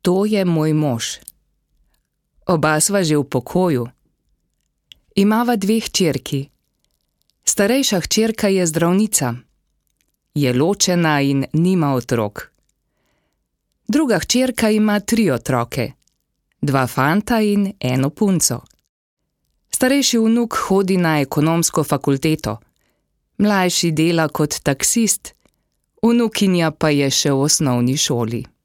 To je moj mož. Oba sva že v pokoju. Imava 2 hčerki. Starejša hčerka je zdravnica. Je ločena in nima otrok. Druga hčerka ima 3 otroke. 2 fanta in 1 punco. Starejši vnuk hodi na ekonomsko fakulteto. Mlajši dela kot taksist. Vnukinja pa je še v osnovni šoli.